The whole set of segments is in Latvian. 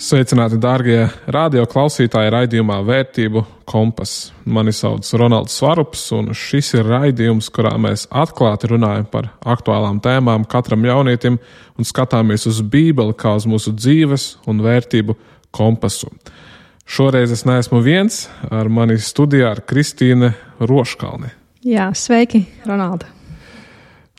Sveicināti, dārgie radioklausītāji raidījumā Vērtību kompass. Mani sauc Ronalds Svarups, un šis ir raidījums, kurā mēs atklāti runājam par aktuālām tēmām katram jaunietim un skatāmies uz Bībeli kā uz mūsu dzīves un vērtību kompasu. Šoreiz es neesmu viens, ar mani studijā ir Kristīne Roškalne. Jā, sveiki, Ronalda.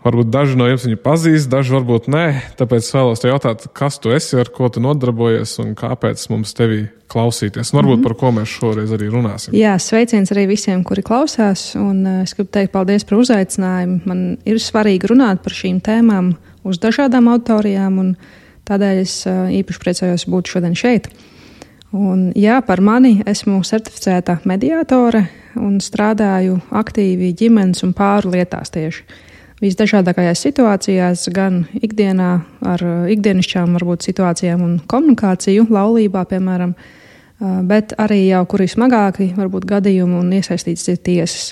Varbūt daži no jums viņu pazīst, daži varbūt nē, tāpēc vēlos te jautāt, kas tu esi, ar ko tu nodarbojies un kāpēc mums tevi klausīties. Varbūt par ko mēs šoreiz arī runāsim. Jā, sveiciens arī visiem, kuri klausās, un es gribu teikt paldies par uzaicinājumu. Man ir svarīgi runāt par šīm tēmām uz dažādām auditorijām, un tādēļ es īpaši priecājos būt šodien šeit. Un jā, par mani esmu certificēta mediātore un strādāju aktīvi ģimenes un pāru lietās tieši. Visdažādākajās situācijās, gan ikdienā ar ikdienišķām varbūt situācijām un komunikāciju, laulībā, piemēram, bet arī jau kuri smagāki varbūt gadījumi un iesaistīts ir tiesas.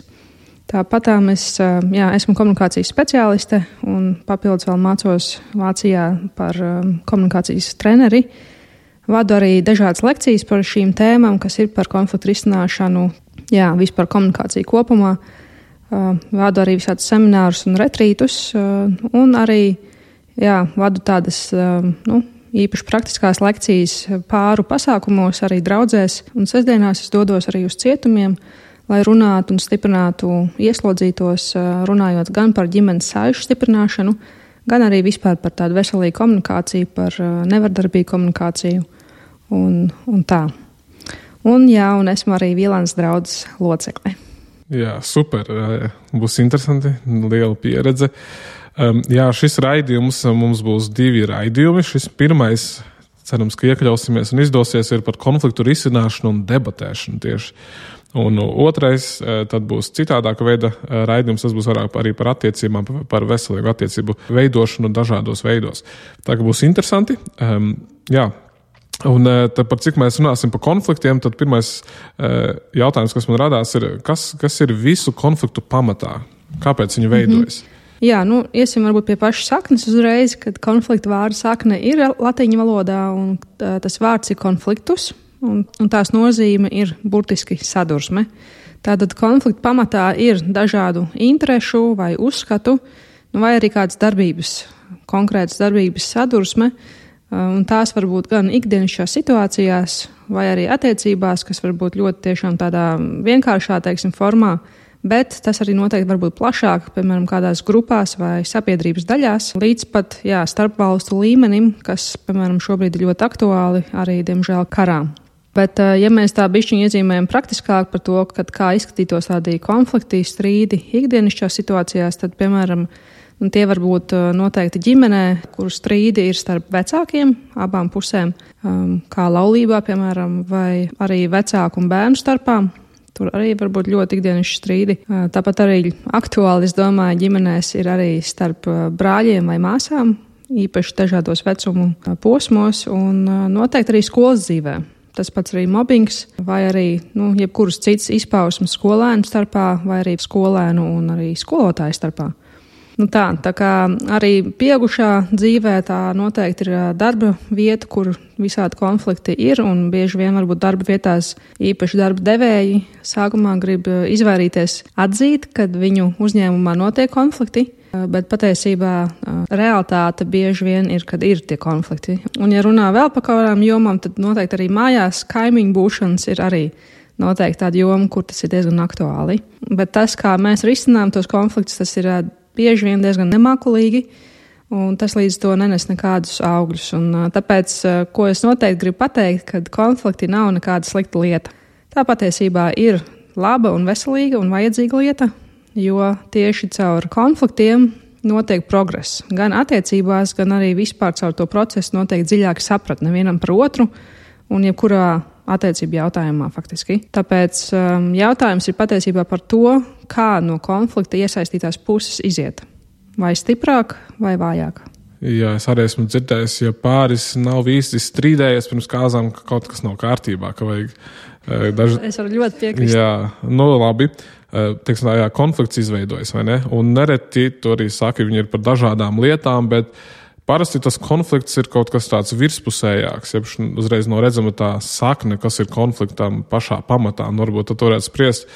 Tāpatām es esmu komunikācijas speciāliste un papildus vēl mācos Vācijā par komunikācijas treneri. Vadu arī dažādas lekcijas par šīm tēmām, kas ir par konfliktu risināšanu, vispār komunikāciju kopumā. Vadu arī visādus seminārus un retrītus, un arī vadu tādas īpaši praktiskās lekcijas pāru pasākumos, arī draudzēs, un sestdienās es dodos arī uz cietumiem, lai runātu un stiprinātu ieslodzītos, runājot gan par ģimenes saišu stiprināšanu, gan arī vispār par tādu veselīgu komunikāciju, par nevardarbīgu komunikāciju un tā. Un esmu arī Vīlānas draudzes locekle. Jā, super. Būs interesanti. Liela pieredze. Šis raidījums, mums būs 2 raidījumi. Šis pirmais, cerams, ka iekļausimies un izdosies, ir par konfliktu risināšanu un debatēšanu tieši. Un otrais, tad būs citādāka veida raidījums. Tas būs arī par attiecībām, par veselīgu attiecību veidošanu dažādos veidos. Tā kā būs interesanti. Un tad par cik mēs runāsim par konfliktiem, tad pirmais jautājums, kas man radās, ir, kas ir visu konfliktu pamatā? Kāpēc viņi veidojas? Iesim varbūt pie pašas saknes uzreiz, kad konflikta vārda sakne ir latīņu valodā, un tas vārds ir konfliktus, un tās nozīme ir burtiski sadursme. Tātad konflikta pamatā ir dažādu interešu vai uzskatu, vai arī kādas darbības, konkrētas darbības sadursme, un tās var būt gan ikdienišķās situācijās, vai arī attiecībās, kas var būt ļoti tiešām tādā vienkāršā, formā, bet tas arī noteikti var būt plašāk, piemēram, kādās grupās vai sabiedrības daļās, līdz pat starpvalstu līmenim, kas, piemēram, šobrīd ir ļoti aktuāli arī, diemžēl, karā. Bet, ja mēs tā bišķiņi iezīmējam praktiskāk par to, kā izskatītos tādi konflikti, strīdi ikdienišķās situācijās, tad, piemēram, tie var būt noteikti ģimenē, kur strīdi ir starp vecākiem, abām pusēm, kā laulībā, piemēram, vai arī vecāku un bērnu starpā. Tur arī var būt ļoti ikdienišķi strīdi. Tāpat arī aktuāli, es domāju, ģimenēs ir arī starp brāļiem vai māsām, īpaši dažādos vecumu posmos, un noteikti arī skolas dzīvē. Tas pats arī mobbings, vai arī jebkuras citas izpausmes skolēnu starpā, vai arī skolēnu un arī skolotāju starpā. Tā kā arī pieaugušā dzīvē tā noteikti ir darba vieta, kur visādi konflikti ir, un bieži vien varbūt darba vietās īpaši darba devēji sākumā grib izvairīties atzīt, kad viņu uzņēmumā notiek konflikti, bet patiesībā realitāte bieži vien ir, kad ir tie konflikti. Un ja runā vēl par kādām jomām, tad noteikti arī mājās kaimiņu būšanas ir arī noteikti tāda joma, kur tas ir diezgan aktuāli. Bet tas, kā mēs risinām tos konfliktus, tas ir bieži vien diezgan nemākulīgi, un tas līdz to nenes nekādus augļus. Un tāpēc, ko es noteikti gribu pateikt, kad konflikti nav nekāda slikta lieta. Tā patiesībā ir laba un veselīga un vajadzīga lieta, jo tieši caur konfliktiem notiek progress. Gan attiecībās, gan arī vispār caur to procesu notiek dziļāka sapratne vienam par otru un jebkurā attiecību jautājumā faktiski. Tāpēc jautājums ir patiesībā par to, kā no konflikta iesaistītās puses iziet. Vai stiprāk, vai vājāk. Jā, es arī esmu dzirdējis, ja pāris nav īsti strīdējies pirms kāzām, ka kaut kas nav kārtībā, ka vajag Es varu ļoti piekrist. Labi. Teiksim, konflikts izveidojas, vai ne? Un nereti tu arī saki, viņi ir par dažādām lietām, bet Parasti tas konflikts ir kaut kas tāds virspusējāks, jeb uzreiz no redzama tā sakne, kas ir konfliktam pašā pamatā, un varbūt tad varētu spriest,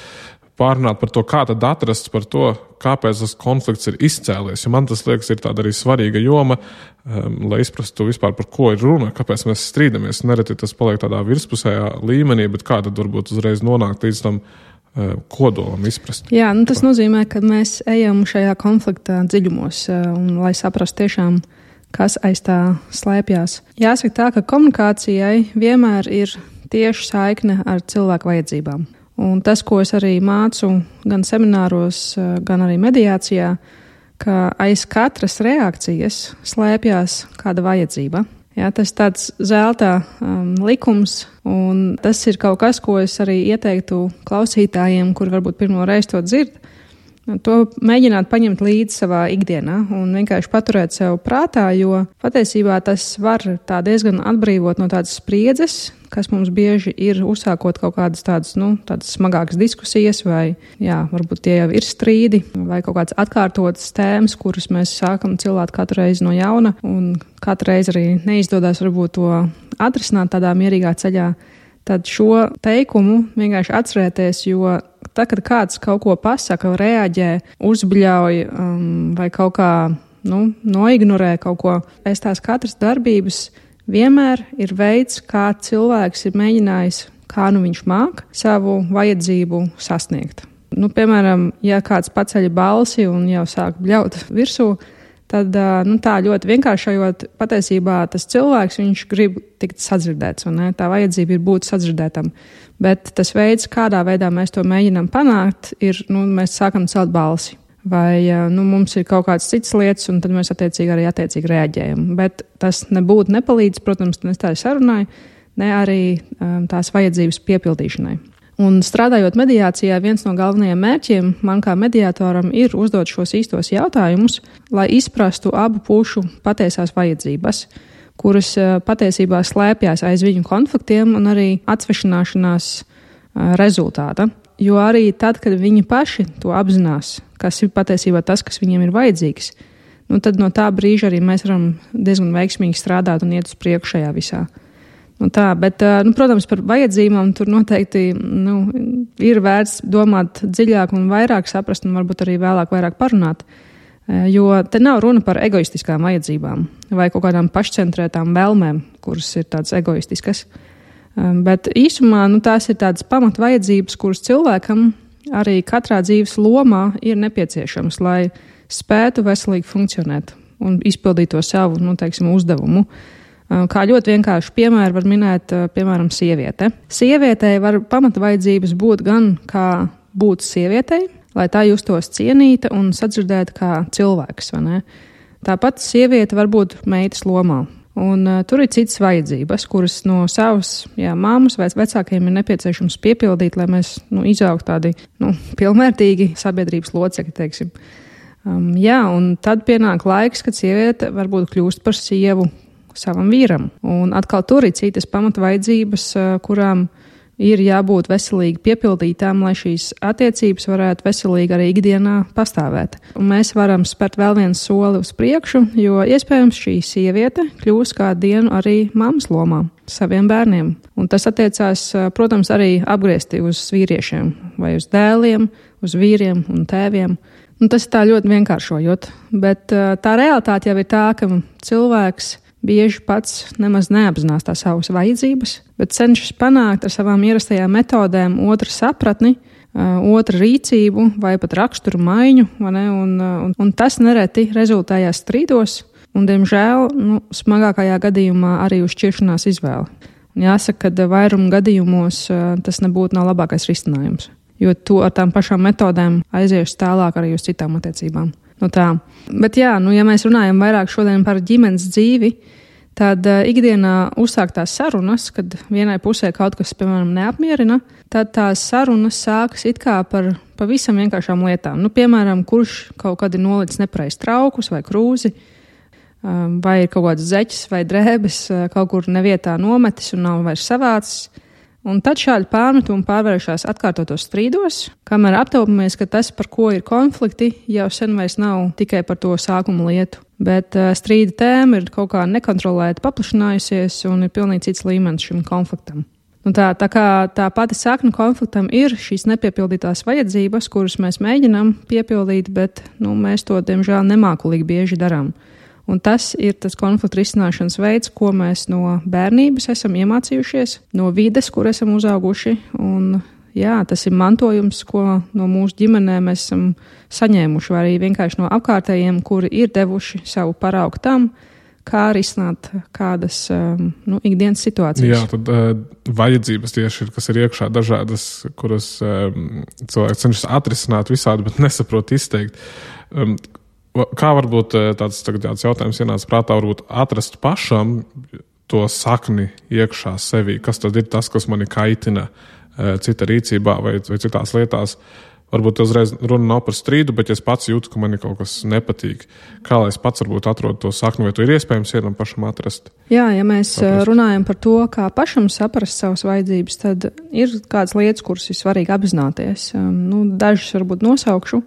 pārunāt par to, kā tad atrast par to, kāpēc tas konflikts ir izcēlies. Jo man tas liekas ir tāda arī svarīga joma, lai izprastu vispār par ko ir runa, kāpēc mēs strīdamies. Nereti tas paliek tādā virspusējā līmenī, bet kā tad varbūt uzreiz nonākt līdz tam kodolam izprast. Jā, tas nozīmē, ka mēs ejam šajā konfliktā dziļumos, un lai saprastu tiešām, kas aiz tā slēpjās. Jāsaka tā, ka komunikācijai vienmēr ir tieši saikne ar cilvēku vajadzībām. Un tas, ko es arī mācu gan semināros, gan arī mediācijā, ka aiz katras reakcijas slēpjās kāda vajadzība. Jā, tas tāds zelta likums, un tas ir kaut kas, ko es arī ieteiktu klausītājiem, kur varbūt pirmo reizi to dzird, to mēģināt paņemt līdzi savā ikdienā un vienkārši paturēt sev prātā, jo patiesībā tas var tā diezgan atbrīvot no tādas spriedzes, kas mums bieži ir uzsākot kaut kādas tādas smagākas diskusijas, vai varbūt tie jau ir strīdi, vai kaut kādas atkārtotas tēmas, kuras mēs sākam cilāt katru reizi no jauna, un katru reizi arī neizdodas varbūt to atrisināt tādā mierīgā ceļā. Tad šo teikumu vienkārši atcerēties, jo tad, kad kāds kaut ko pasaka, reaģē, uzbļauj vai kaut kā noignorē kaut ko, aiz tās katras darbības vienmēr ir veids, kā cilvēks ir mēģinājis, kā viņš māk savu vajadzību sasniegt. Piemēram, ja kāds paceļ balsi un jau sāk bļaut virsū, tad tā ļoti vienkāršojot, patiesībā tas cilvēks, viņš grib tikt sadzirdēts, un tā vajadzība ir būt sadzirdētam. Bet tas veids, kādā veidā mēs to mēģinām panākt, ir, mēs sākam celt balsi. Vai mums ir kaut kādas citas lietas, un tad mēs attiecīgi reaģējam. Bet tas nebūtu nepalīdz, protams, ne tā sarunai, ne arī tās vajadzības piepildīšanai. Un strādājot mediācijā, viens no galvenajiem mērķiem man kā mediātoram ir uzdot šos īstos jautājumus, lai izprastu abu pušu patiesās vajadzības, kuras patiesībā slēpjas aiz viņu konfliktiem un arī atsvešināšanās rezultāta. Jo arī tad, kad viņi paši to apzinās, kas ir patiesībā tas, kas viņiem ir vajadzīgs, tad no tā brīža arī mēs varam diezgan veiksmīgi strādāt un iet uz priekšu šajā visā. Bet, protams, par vajadzībām tur noteikti ir vērts domāt dziļāk un vairāk saprast un varbūt arī vēlāk vairāk parunāt, jo te nav runa par egoistiskām vajadzībām vai kaut kādām pašcentrētām vēlmēm, kuras ir tādas egoistiskas. Bet īsumā tās ir tādas pamatvajadzības, kuras cilvēkam arī katrā dzīves lomā ir nepieciešamas, lai spētu veselīgi funkcionēt un izpildīt to savu, uzdevumu. Kā ļoti vienkārši piemēru var minēt, piemēram, sieviete. Sievietei var pamatvajadzības būt gan kā būt sievietei, lai tā justos cienīta un sadzirdēta kā cilvēks, vai ne? Tāpat sieviete var būt meitas lomā. Un tur ir citas vajadzības, kuras no savas māmas vai vecākiem ir nepieciešams piepildīt, lai mēs izaugtu tādi pilnvērtīgi sabiedrības locekļi, teiksim. Un tad pienāk laiks, kad sieviete varbūt kļūst par sievu savam vīram. Un atkal tur ir citas pamatvajadzības, kurām ir jābūt veselīgi piepildītām, lai šīs attiecības varētu veselīgi arī ikdienā pastāvēt. Un mēs varam spērt vēl vienu soli uz priekšu, jo iespējams šī sieviete kļūs kādu dienu arī mammas lomā saviem bērniem. Un tas attiecās, protams, arī apgriezti uz vīriešiem vai uz dēliem, uz vīriem un tēviem. Un tas tā ļoti vienkāršojot, bet tā realitāte jau ir tā, ka cilvēks bieži pats nemaz neapzinās tās savas vajadzības, bet cenšas panākt ar savām ierastajām metodēm otra sapratni, otra rīcību vai pat raksturu maiņu, vai ne? Un tas nereti rezultējās strīdos un, diemžēl, smagākajā gadījumā arī uz šķiršanās izvēli. Un jāsaka, ka vairuma gadījumos tas nebūtu nav labākais risinājums, jo to ar tām pašām metodēm aizies tālāk arī uz citām attiecībām. Bet ja mēs runājam vairāk šodien par ģimenes dzīvi, tad ikdienā uzsāktās sarunas, kad vienai pusē kaut kas, piemēram, neapmierina, tad tās sarunas sākas it kā par pavisam vienkāršām lietām. Piemēram, kurš kaut kad ir nolicis nepareizi traukus vai krūzi, vai ir kaut kāds zeķis vai drēbes kaut kur nevietā nometis un nav vairs savācis, Un tad šādi pārmetumi pārvēršas atkārtotos strīdos, kamēr aptaupamies, ka tas, par ko ir konflikti, jau sen vairs nav tikai par to sākuma lietu. Bet strīda tēma ir kaut kā nekontrolēti paplašinājusies un ir pilnīgi cits līmenis šim konfliktam. Un tā kā tā pati sakna konfliktam ir šīs nepiepildītās vajadzības, kuras mēs mēģinām piepildīt, bet mēs to, diemžēl, nemākulīgi bieži darām. Un tas ir tas konflikta risināšanas veids, ko mēs no bērnības esam iemācījušies, no vides, kur esam uzauguši. Un, tas ir mantojums, ko no mūsu ģimenēm mēs esam saņēmuši, vai arī vienkārši no apkārtējiem, kuri ir devuši savu paraugu tam, kā risināt kādas ikdienas situācijas. Jā, tad vajadzības tieši ir, kas ir iekšā dažādas, kuras cilvēki cenšas atrisināt visādi, bet nesaprot izteikt. Kā varbūt tāds jautājums ienāca prātā, varbūt atrast pašam to sakni iekšā sevī, kas tad ir tas, kas mani kaitina cita rīcībā vai citās lietās. Varbūt uzreiz runa nav par strīdu, bet es pats jūtu, ka man ir kaut kas nepatīk. Kā lai es pats varbūt atrodu to sakni, vai to ir iespējams vienam pašam atrast? Jā, ja mēs runājam par to, kā pašam saprast savas vajadzības, tad ir kādas lietas, kuras ir svarīgi apzināties. Dažas varbūt nosaukšu.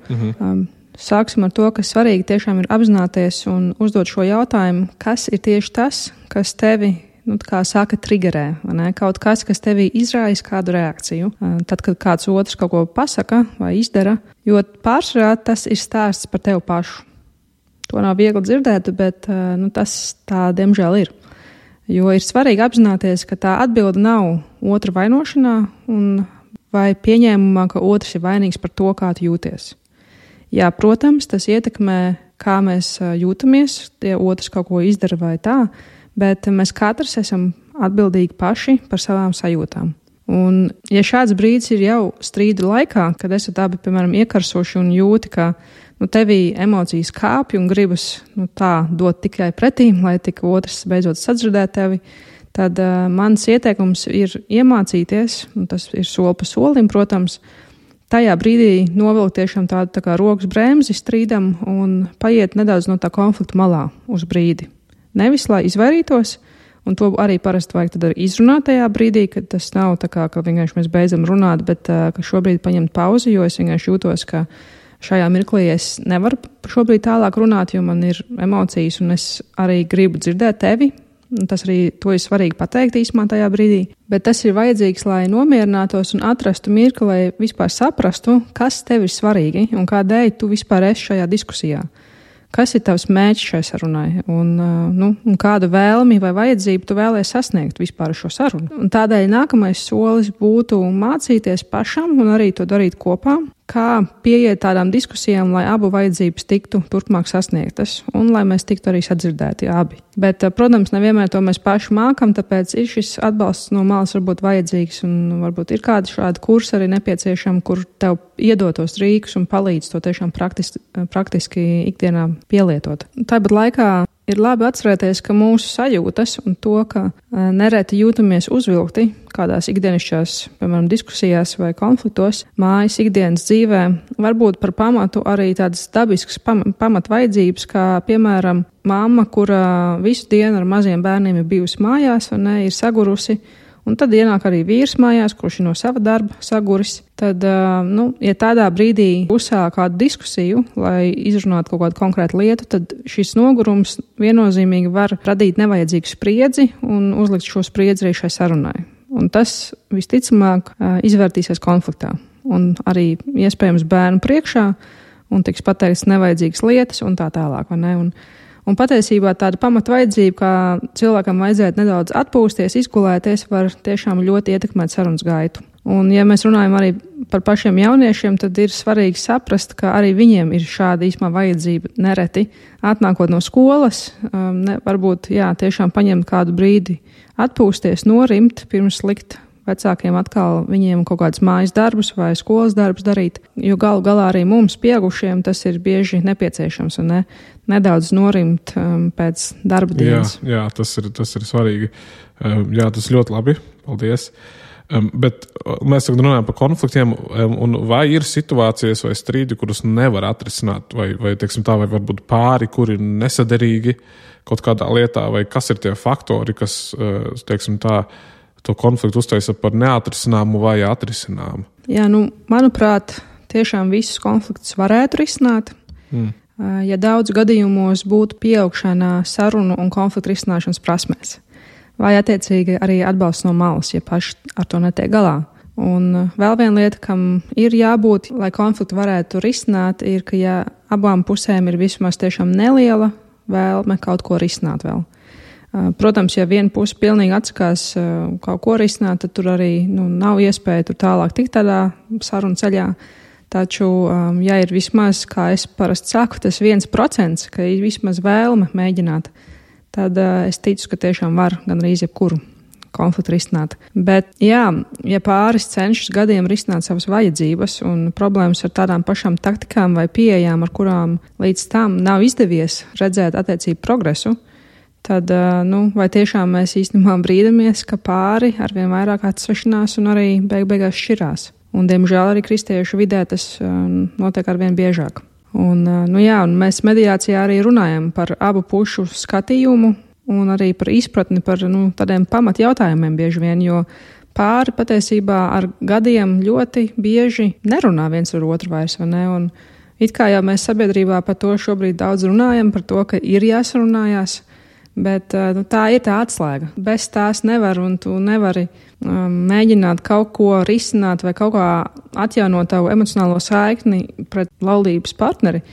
Sāksim ar to, ka svarīgi tiešām ir apzināties un uzdot šo jautājumu, kas ir tieši tas, kas tevi kā saka, triggerē, kaut kas tevī izraisa kādu reakciju. Tad, kad kāds otrs kaut ko pasaka vai izdara, jo pārsvarā tas ir stāsts par tevi pašu. To nav viegli dzirdēt, bet tas tā diemžēl ir. Jo ir svarīgi apzināties, ka tā atbilde nav otra vainošanā vai pieņēmumā, ka otrs ir vainīgs par to, kā tu jūties. Jā, protams, tas ietekmē, kā mēs jūtamies, ja otrs kaut ko izdara vai tā, bet mēs katrs esam atbildīgi paši par savām sajūtām. Un, ja šāds brīdis ir jau strīda laikā, kad esat abi, piemēram, iekarsoši un jūti, ka tevī emocijas kāpj un gribas tā dot tikai pretīm, lai tik otrs beidzot sadzirdēt tevi, tad mans ieteikums ir iemācīties, un tas ir soli pa solim, protams, tajā brīdī novilkt tiešām tādu tā kā rokas bremzi strīdam un paiet nedaudz no tā konflikta malā uz brīdi. Nevis, lai izvairītos, un to arī parasti vajag tad arī izrunāt tajā brīdī, kad tas nav tā kā, ka vienkārši mēs beidzam runāt, bet ka šobrīd paņemt pauzi, jo es vienkārši jūtos, ka šajā mirklī es nevaru šobrīd tālāk runāt, jo man ir emocijas, un es arī gribu dzirdēt tevi, un tas arī to ir svarīgi pateikt īsumā tajā brīdī. Bet tas ir vajadzīgs, lai nomierinātos un atrastu mirkli, lai vispār saprastu, kas tev ir svarīgi un kādēļ tu vispār esi šajā diskusijā. Kas ir tavs mērķis šai sarunai un kādu vēlmi vai vajadzību tu vēlies sasniegt vispār šo sarunu. Un tādēļ nākamais solis būtu mācīties pašam un arī to darīt kopā, kā pieiet tādām diskusijām, lai abu vajadzības tiktu turpmāk sasniegtas un lai mēs tiktu arī sadzirdēti abi. Bet, protams, nevienmēr to mēs paši mākam, tāpēc ir šis atbalsts no malas varbūt vajadzīgs un varbūt ir kādi šādi kursi arī nepieciešami, kur tev iedotos rīkus un palīdz to tiešām praktiski ikdienā pielietot. Tāpat laikā ir labi atcerēties, ka mūsu sajūtas un to, ka nereti jūtamies uzvilkti kādās ikdienišķās, piemēram, diskusijās vai konfliktos, mājas ikdienas dzīvē, varbūt par pamatu arī tādas dabiskas pamatvajadzības, kā, piemēram, mamma, kura visu dienu ar maziem bērniem ir bijusi mājās un ir sagurusi, un tad ienāk arī vīrs mājās, kurš ir no sava darba saguris. Tad, ja tādā brīdī uzsāk kādu diskusiju, lai izrunātu kaut kādu konkrētu lietu, tad šis nogurums viennozīmīgi var radīt nevajadzīgu spriedzi un uzlikt šo spriedzi arī šai sarunai. Un tas visticamāk izvērtīsies konfliktā un arī iespējams bērnu priekšā un tiks pateikts nevajadzīgas lietas un tā tālāk, vai ne? Un patiesībā tāda pamatvajadzība, kā cilvēkam vajadzētu nedaudz atpūsties, izgulēties, var tiešām ļoti ietekmēt sarunas gaitu. Un, ja mēs runājam arī par pašiem jauniešiem, tad ir svarīgi saprast, ka arī viņiem ir šāda īsumā vajadzība nereti. Atnākot no skolas, varbūt tiešām paņemt kādu brīdi atpūsties, norimt, pirms likt vecākiem atkal viņiem kaut kādas mājas darbus vai skolas darbus darīt, jo galu galā arī mums pieaugušiem tas ir bieži nepieciešams un nedaudz norimt pēc darba dienas. Jā, tas ir svarīgi. Jā, tas ļoti labi. Paldies. Bet mēs tagad runājam par konfliktiem, un vai ir situācijas vai strīdi, kurus nevar atrisināt, vai teiksim tā, vai varbūt pāri, kuri ir nesaderīgi kaut kādā lietā, vai kas ir tie faktori, kas, teiksim tā, to konfliktu uztaisa par neatrisināmu vai atrisināmu? Jā, manuprāt, tiešām visus konfliktus varētu risināt. Ja daudz gadījumos būtu pieaugšana sarunu un konfliktu risināšanas prasmēs, vai attiecīgi arī atbalsts no malas, ja paši ar to netiek galā. Un vēl viena lieta, kam ir jābūt, lai konfliktu varētu risināt, ir, ka ja abām pusēm ir vismaz tiešām neliela vēlme kaut ko risināt vēl. Protams, ja viena puse pilnīgi atsakās kaut ko risināt, tad tur arī nav iespēja tur tālāk tikt tādā sarunu ceļā. Taču, ja ir vismaz, kā es parasti saku, tas 1%, ka ir vismaz vēlme mēģināt, tad es ticu, ka tiešām var gandrīz jebkuru konfliktu risināt. Bet, jā, ja pāris cenšas gadiem risināt savas vajadzības un problēmas ar tādām pašām taktikām vai pieejām, ar kurām līdz tam nav izdevies redzēt attiecību progresu, tad, vai tiešām mēs īstenībā brīdamies, ka pāri arvien vairāk atsvešinās un arī beigās šķirās. Un, diemžēl, arī kristiešu vidē tas notiek arvien biežāk. Un mēs mediācijā arī runājam par abu pušu skatījumu un arī par izpratni par tādiem pamatjautājumiem bieži vien, jo pāri patiesībā ar gadiem ļoti bieži nerunā viens ar otru vairs, vai ne? Un it kā jau mēs sabiedrībā par to šobrīd daudz runājam, par to, ka ir jāsarunājās, bet tā ir tā atslēga. Bez tās nevar, un tu nevari mēģināt kaut ko risināt vai kaut kā atjaunot tavu emocionālo saikni pret laulības partneri,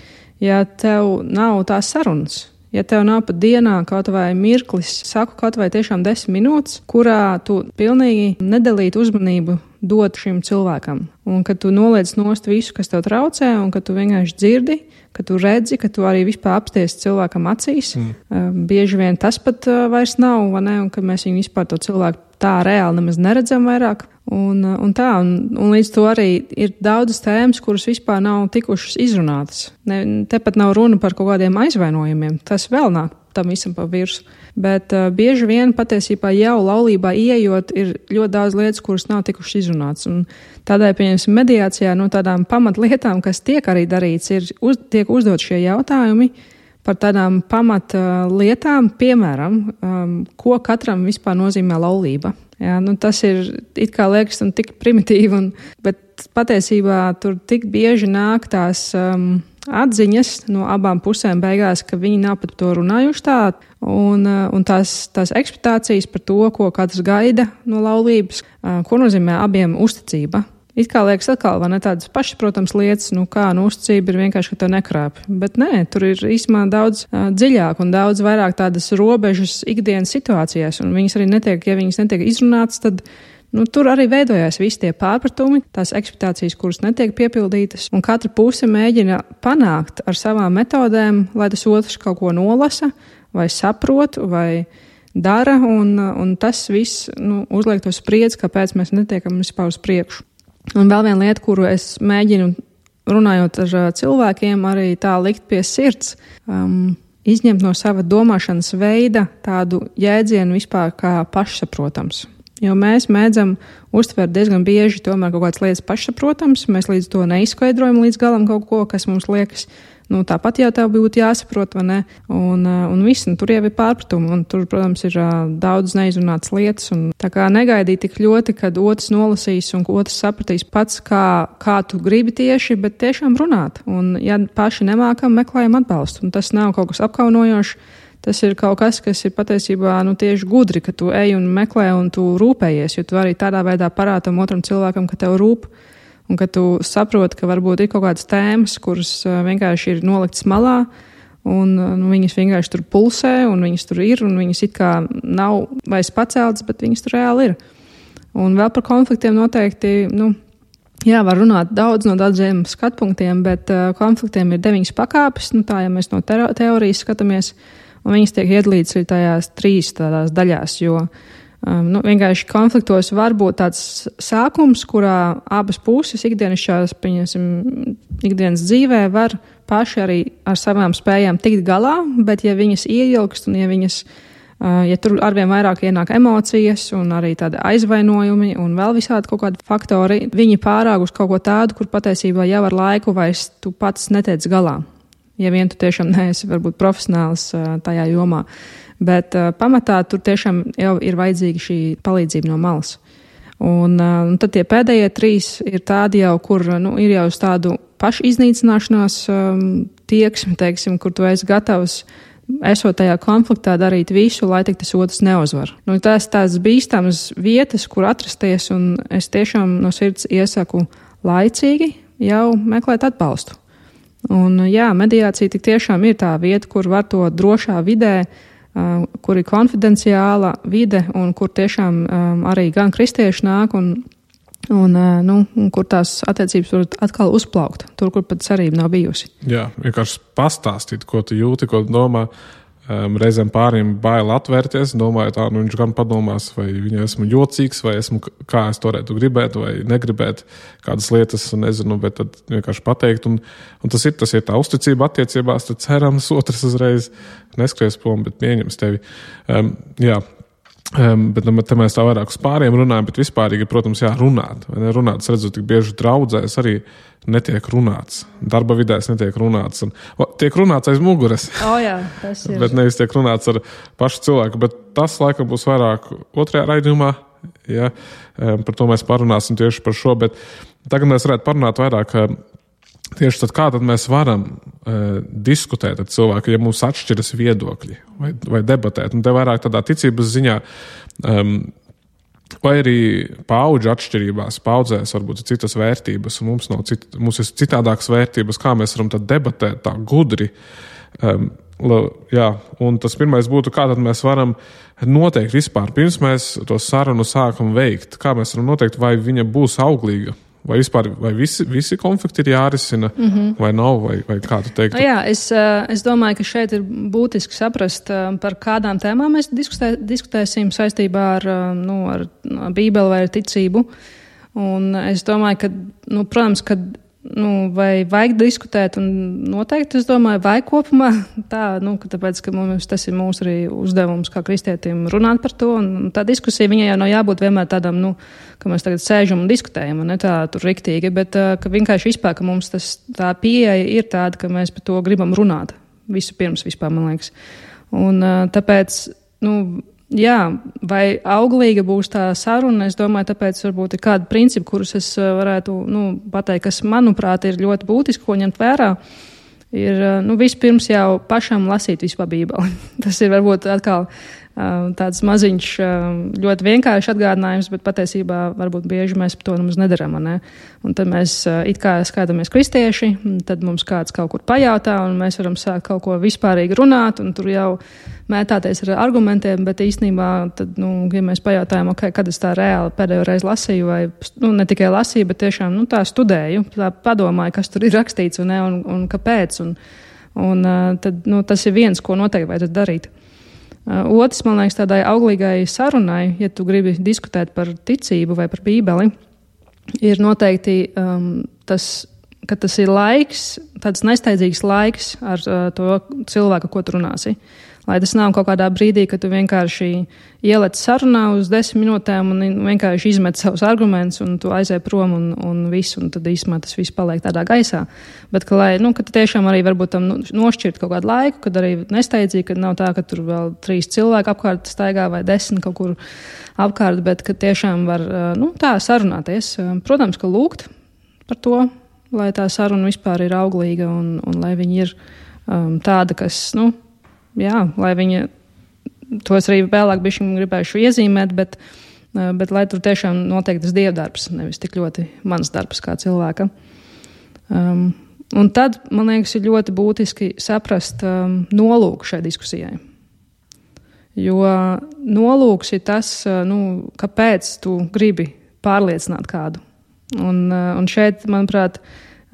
ja tev nav tās sarunas. Ja tev nav pat dienā kaut vai mirklis, saku kaut vai tiešām 10 minūtes, kurā tu pilnīgi nedalītu uzmanību dot šim cilvēkam. Un ka tu noliec nost visu, kas tev traucē, un ka tu vienkārši dzirdi, ka tu redzi, ka tu arī vispār apsties cilvēkam acīs. Bieži vien tas pat vairs nav, vai ne, un ka mēs viņu vispār to cilvēku tā reāli nemaz neredzam vairāk. Un līdz to arī ir daudzas tēmas, kuras vispār nav tikušas izrunātas. Tepat nav runa par kaut kādiem aizvainojumiem. Tas vēl nāk tam visam pa virsu. Bet bieži vien patiesībā jau laulībā ieejot ir ļoti daudz lietas, kuras nav tikušas izrunātas. Un tādēļ, pieņemsim, mediācijā no tādām pamatlietām, kas tiek arī darīts, tiek uzdot šie jautājumi par tādām pamatlietām, piemēram, ko katram vispār nozīmē laulība. Jā, tas ir it kā liekas un tik primitīvi, bet patiesībā tur tik bieži nāk tās atziņas no abām pusēm beigās, ka viņi nav pat to runājuši tā, un tās ekspektācijas par to, ko katrs gaida no laulības, ko nozīmē abiem uzticība. It kā liekas atkal, vai ne, tādas pašas, protams, lietas, uzticība ir vienkārši, ka tev nekrāp. Bet nē, tur ir īstenībā daudz dziļāk un daudz vairāk tādas robežas ikdienas situācijās, un viņas arī netiek izrunātas, tad tur arī veidojās visi tie pārpratumi, tās ekspektācijas, kuras netiek piepildītas, un katra puse mēģina panākt ar savām metodēm, lai tas otrs kaut ko nolasa, vai saprot, vai dara, un tas viss uzliek to spriedzi, kāpēc mēs netiekam vispār uz priekšu. Un vēl viena lieta, kuru es mēģinu, runājot ar cilvēkiem, arī tā likt pie sirds, izņemt no sava domāšanas veida tādu jēdzienu vispār kā pašsaprotams. Jo mēs mēdzam uztvert diezgan bieži tomēr kaut kādas lietas pašsaprotams, mēs līdz to neizskaidrojam līdz galam kaut ko, kas mums liekas, tāpat jau tev būtu jāsaprot, vai ne? Un viss, tur jau ir pārpratumi, un tur, protams, ir daudz neizrunātas lietas, un tā kā negaidīt tik ļoti, kad otrs nolasīs un otrs sapratīs pats, kā tu gribi tieši, bet tiešām runāt. Un ja paši nemākam, meklējam atbalstu, un tas nav kaut kas apkaunojošs, tas ir kaut kas ir patiesībā tieši gudri, ka tu ej un meklē un tu rūpējies, jo tu arī tādā veidā parādam otram cilvēkam, ka tev rūp. Un ka tu saproti, ka varbūt ir kaut kādas tēmas, kuras vienkārši ir noliktas malā, un viņas vienkārši tur pulsē, un viņas tur ir, un viņas it kā nav vairs paceltas, bet viņas tur reāli ir. Un vēl par konfliktiem noteikti, var runāt daudz no daudziem skatpunktiem, bet konfliktiem ir 9 pakāpes, tā, ja mēs no teorijas skatāmies, un viņas tiek iedalītas arī tajās 3 tādās daļās, jo vienkārši konfliktos var būt tāds sākums, kurā abas puses ikdienas dzīvē var paši arī ar savām spējām tikt galā, bet ja viņas ieilgst un ja tur arvien vairāk ienāk emocijas un arī tādi aizvainojumi un vēl visādi kaut kādi faktori, viņi pārāk uz kaut ko tādu, kur patiesībā jau ar laiku vairs tu pats netiec galā. Ja vien tu tiešām neesi varbūt profesionāls tajā jomā. Bet pamatā tur tiešām jau ir vajadzīga šī palīdzība no malas. Un tad tie pēdējie 3 ir tādi jau, kur ir jau uz tādu pašu iznīcināšanās tieksmi, teiksim, kur tu esi gatavs esot tajā konfliktā darīt visu, lai tik tas otrs neuzvar. Tās bīstamas vietas, kur atrasties, un es tiešām no sirds iesaku laicīgi jau meklēt atbalstu. Un mediācija tik tiešām ir tā vieta, kur var to drošā vidē, kur ir konfidenciāla vide un kur tiešām arī gan kristieši nāk un kur tās attiecības var atkal uzplaukt, tur, kur pat cerība nav bijusi. Jā, vienkārši pastāstīt, ko tu jūti, ko tu domā. Reizēm pāriem bail atvērties, domāju tā, viņš gan padomās, vai viņa esmu jocīgs, vai kā es to varētu gribēt, vai negribēt kādas lietas, nezinu, bet tad vienkārši pateikt. Un tas ir tā uzticība attiecībās, tad cerams, otrs uzreiz neskries prom, bet pieņems tevi. Bet te mēs tā vairāk uz pāriem runājam, bet vispārīgi, protams, runāt. Runāt, es redzu, tik bieži draudzēs arī netiek runāts. Darba vidēs netiek runāts. Tiek runāts aiz muguras. Jā, tas ir. Bet nevis tiek runāts ar pašu cilvēku. Bet tas, laikam, būs vairāk otrajā raidījumā. Ja? Par to mēs parunāsim tieši par šo. Bet tagad mēs varētu parunāt vairāk tieši tad, kā tad mēs varam diskutēt ar cilvēku, ja mums atšķiras viedokļi vai debatēt. Un te vairāk tādā ticības ziņā, vai arī paudžu atšķirībās, paudzēs varbūt ir citas vērtības, un mums ir citādākas vērtības, kā mēs varam tad debatēt tā gudri. Un tas pirmais būtu, kā tad mēs varam noteikt vispār, pirms mēs to sarunu sākam veikt, kā mēs varam noteikt, vai viņa būs auglīga. Vai vispār visi konflikti ir jārisina, vai nav, vai kā tu teiktu? Es domāju, ka šeit ir būtiski saprast, par kādām tēmām mēs diskutēsim saistībā ar Bībeli vai ar ticību. Un es domāju, ka, protams, ka vai vajag diskutēt, un noteikti, es domāju, vai kopumā tā, tāpēc, ka tas ir mūsu arī uzdevums kā kristietim runāt par to, un tā diskusija viņai jau nav jābūt vienmēr tādam, ka mēs tagad sēžam un diskutējam, un ne tā tur riktīgi, bet ka vienkārši vispār, ka mums tā pieeja ir tāda, ka mēs par to gribam runāt visu pirms vispār, man liekas. Un tāpēc, vai auglīga būs tā saruna, es domāju, tāpēc varbūt ir kādi principi, kurus es varētu pateikt, kas, manuprāt, ir ļoti būtiski, ko ņemt vērā, ir vispirms jau pašam lasīt vispār Bībeli. Tas ir varbūt atkal tāds maziņš, ļoti vienkārši atgādinājums, bet patiesībā varbūt bieži mēs par to nemaz nedaram. Ne? Un tad mēs it kā skatāmies kristieši, tad mums kāds kaut kur pajautā, un mēs varam sākt kaut ko vispārīgi runāt, un tur jau mētāties ar argumentiem, bet īstenībā, tad, ja mēs pajautājam, kad es tā reāli pēdējo reizi lasīju, vai ne tikai lasīju, bet tiešām tā studēju, tā padomāju, kas tur ir rakstīts un kāpēc, un tad tas ir viens, ko noteikti vajadzētu darīt. Otrs, man liekas, tādai auglīgai sarunai, ja tu gribi diskutēt par ticību vai par Bībeli, ir noteikti ka tas ir laiks, tāds nesteidzīgs laiks ar to cilvēku, ko tu runāsi. Lai tas nav kaut kādā brīdī, ka tu vienkārši ielec sarunā uz 10 minūtēm un vienkārši izmet savus argumentus un tu aizēj prom un visu, un tad īstenībā tas viss paliek tādā gaisā. Bet, ka tu tiešām arī varbūt tam nošķirt kaut kādu laiku, kad arī nesteidzīgi, kad nav tā, ka tur vēl 3 cilvēki apkārt staigā vai 10 kaut kur apkārt, bet, ka tiešām var, tā sarunāties. Protams, ka lūgt par to, lai tā saruna vispār ir auglīga un lai viņa ir tāda, kas, lai viņa, to es arī vēlāk bišķi gribējuši iezīmēt, bet lai tur tiešām notiek tas dievdarbs, nevis tik ļoti mans darbs kā cilvēka. Un tad, man liekas, ir ļoti būtiski saprast nolūku šai diskusijai. Jo nolūks ir tas, kāpēc tu gribi pārliecināt kādu. Un šeit, manuprāt,